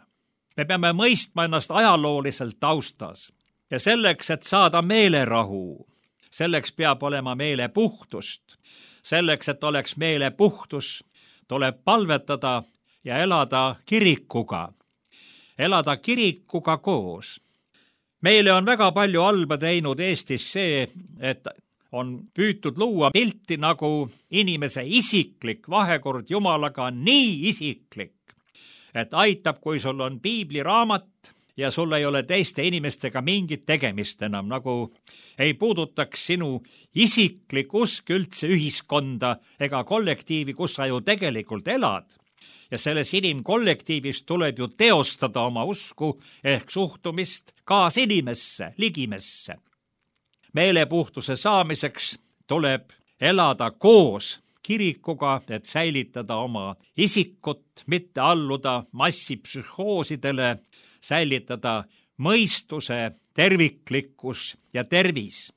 Me peame mõistma ennast ajalooliselt taustas ja selleks, et saada meelerahu, selleks peab olema meelepuhtust. Selleks, et oleks meelepuhtus, tuleb palvetada ja elada kirikuga. Elada kirikuga koos. Meile on väga palju halba teinud Eestis see, et on püütud luua pilti, nagu inimese isiklik vahekord Jumalaga on nii isiklik, et aitab, kui sul on piibliraamat ja sul ei ole teiste inimestega mingit tegemist enam, nagu ei puudutaks sinu isiklik usk üldse ühiskonda ega kollektiivi, kus sa ju tegelikult elad. Ja selles inimkollektiivis tuleb ju teostada oma usku ehk suhtumist kaasinimesse, ligimesse. Meelepuhtuse saamiseks tuleb elada koos kirikuga, et säilitada oma isikut, mitte alluda massipsühhoosidele, säilitada mõistuse, terviklikkus ja tervis.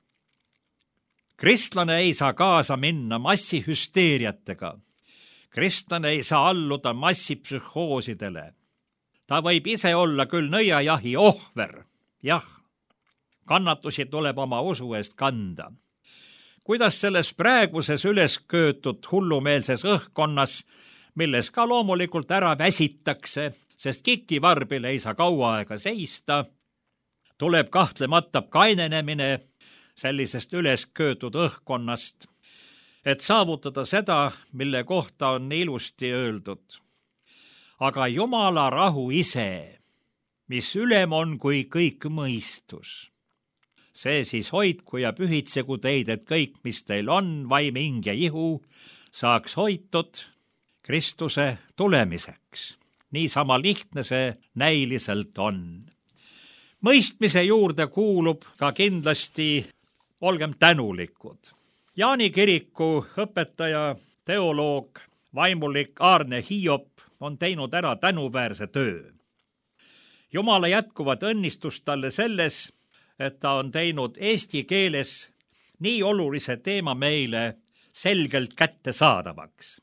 Kristlane ei saa kaasa minna massihüsteeriatega. Kristlane ei saa alluda massipsühhoosidele. Ta võib ise olla küll nõiajahi ohver, jah. Kannatusi tuleb oma usu eest kanda. Kuidas selles praeguses ülesköötud hullumeelses õhkkonnas, milles ka loomulikult ära väsitakse, sest kikivarbil ei saa kaua aega seista, tuleb kahtlemata kainenemine sellisest ülesköötud õhkkonnast, et saavutada seda, mille kohta on ilusti öeldud. Aga Jumala rahu ise, mis ülem on kui kõik mõistus. See siis hoidku ja pühitsegu teid, et kõik, mis teil on, vaim, hing ja ihu, saaks hoitud Kristuse tulemiseks. niisama lihtne see näiliselt on. Mõistmise juurde kuulub ka kindlasti olgem tänulikud. Jaani kiriku õpetaja, teoloog, vaimulik Aarne Hiiop on teinud ära tänuväärse töö. Jumala jätkuvat õnnistust talle selles, et ta on teinud eesti keeles nii olulise teema meile selgelt kättesaadavaks.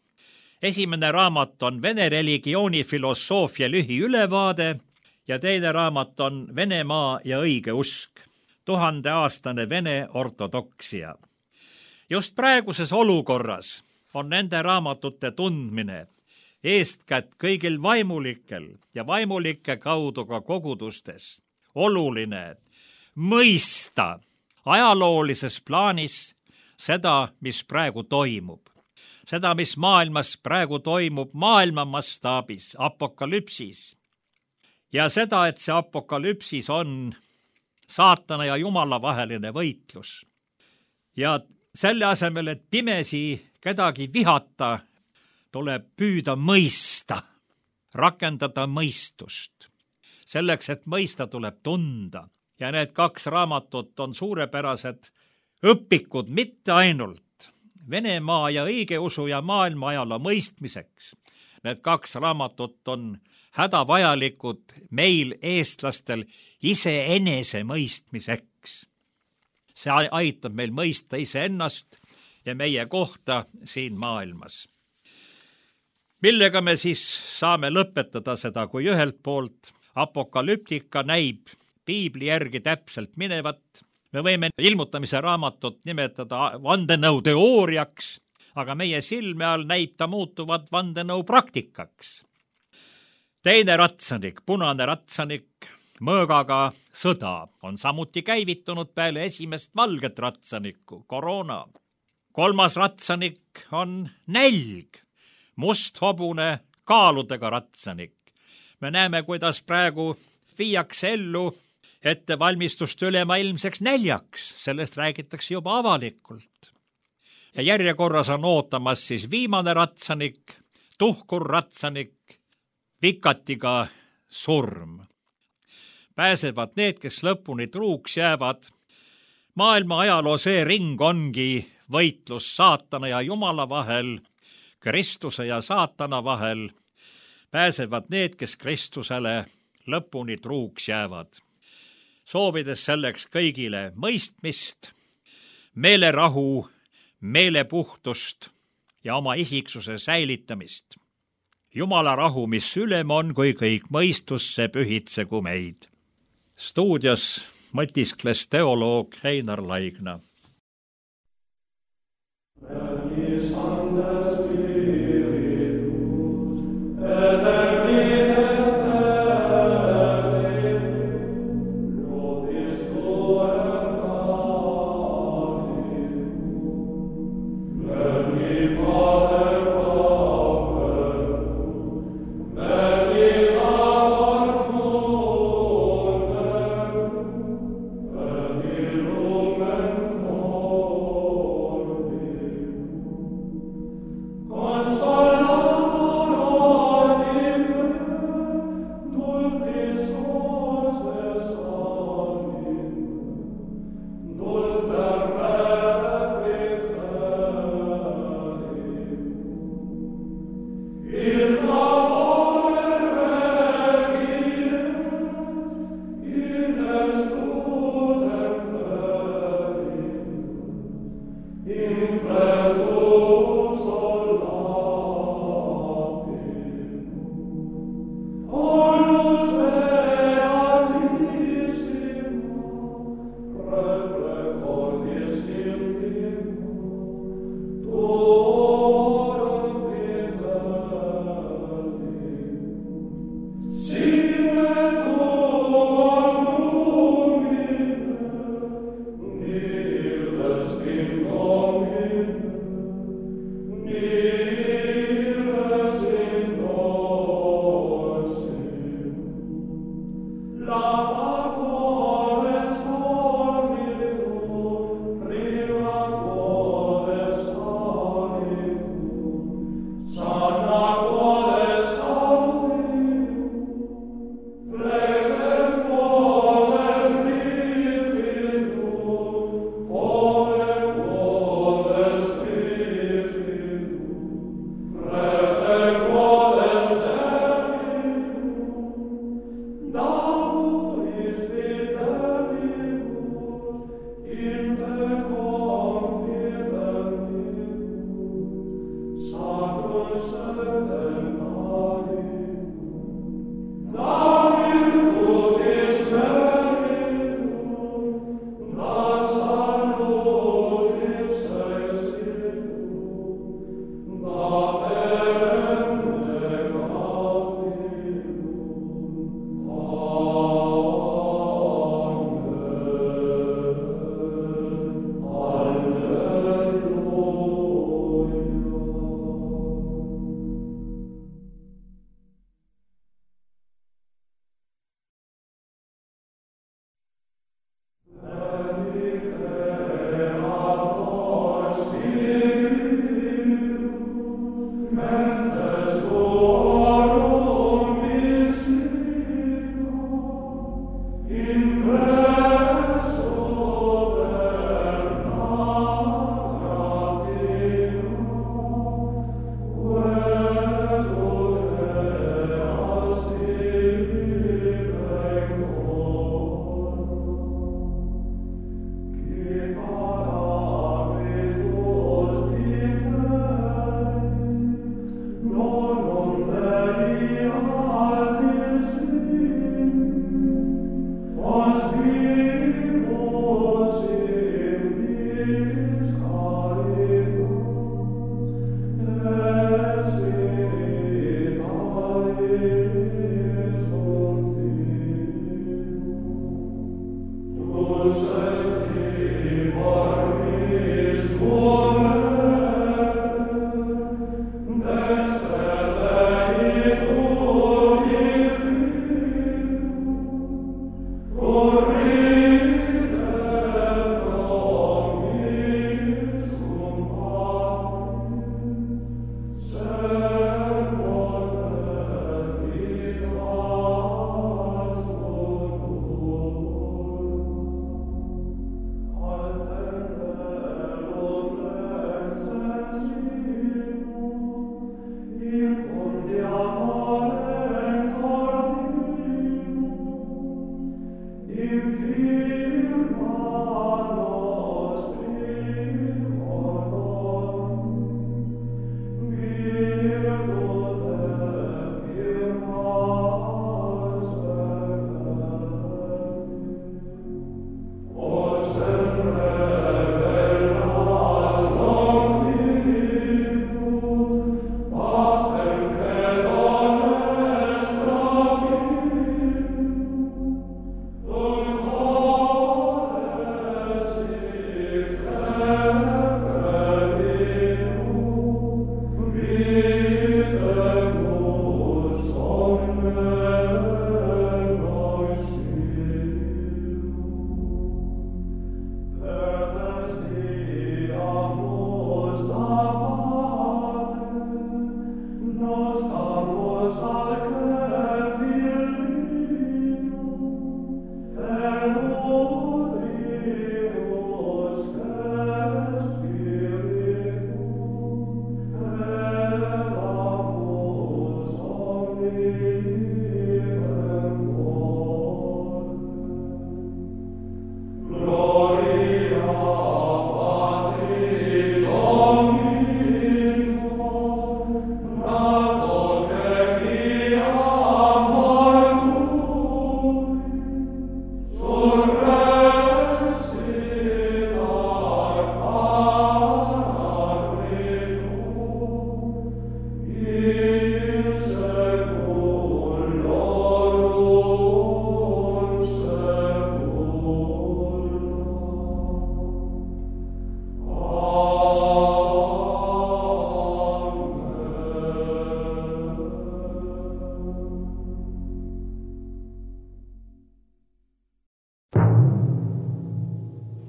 Esimene raamat on Vene religiooni filosoofia lühiülevaade ja teine raamat on Venemaa ja õige usk, 1000-aastane Vene ortodoksia. Just praeguses olukorras on nende raamatute tundmine eestkätt kõigil vaimulikel ja vaimulike kaudu ka kogudustes oluline mõista ajaloolises plaanis seda, mis praegu toimub. Seda, mis maailmas praegu toimub maailma mastaabis, apokalüpsis. Ja seda, et see apokalüpsis on saatana ja Jumala vaheline võitlus. Ja selle asemel, et pimesi kedagi vihata, tuleb püüda mõista, rakendada mõistust. Selleks, et mõista, tuleb tunda. Ja need 2 raamatut on suurepärased õpikud mitte ainult Venemaa ja õigeusu ja maailma ajaloo mõistmiseks. Need 2 raamatut on hädavajalikud meil eestlastel iseenese mõistmiseks. See aitab meil mõista iseennast ja meie kohta siin maailmas. Millega me siis saame lõpetada seda, kui ühelt poolt apokalüptika näib piibli järgi täpselt minevat. Me võime ilmutamise raamatut nimetada vandenõu teooriaks, aga meie silme all näib ta muutuvat vandenõu praktikaks. Teine ratsanik, punane ratsanik, mõõgaga sõda on samuti käivitunud peale esimest valget ratsanikku, koroona. 3. ratsanik on nälg, must hobune kaaludega ratsanik. Me näeme, kuidas praegu viiakse ellu ettevalmistust ülemaailmseks näljaks, sellest räägitakse juba avalikult. Ja järjekorras on ootamas siis viimane ratsanik, tuhkur ratsanik, vikatiga surm. Pääsevad need, kes lõpuni truuks jäävad. Maailma ajaloo see ring ongi võitlus saatana ja Jumala vahel, Kristuse ja saatana vahel. Pääsevad need, kes Kristusele lõpuni truuks jäävad. Soovides selleks kõigile mõistmist, meelerahu, meelepuhtust ja oma isiksuse säilitamist. Jumala rahu, mis ülem on, kui kõik mõistusse pühitsegu meid. Stuudios mõtiskles teoloog Einar Laigna. Con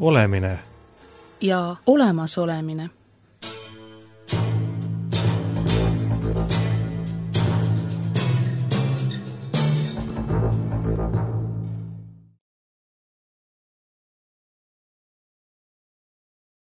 olemine ja olemasolemine.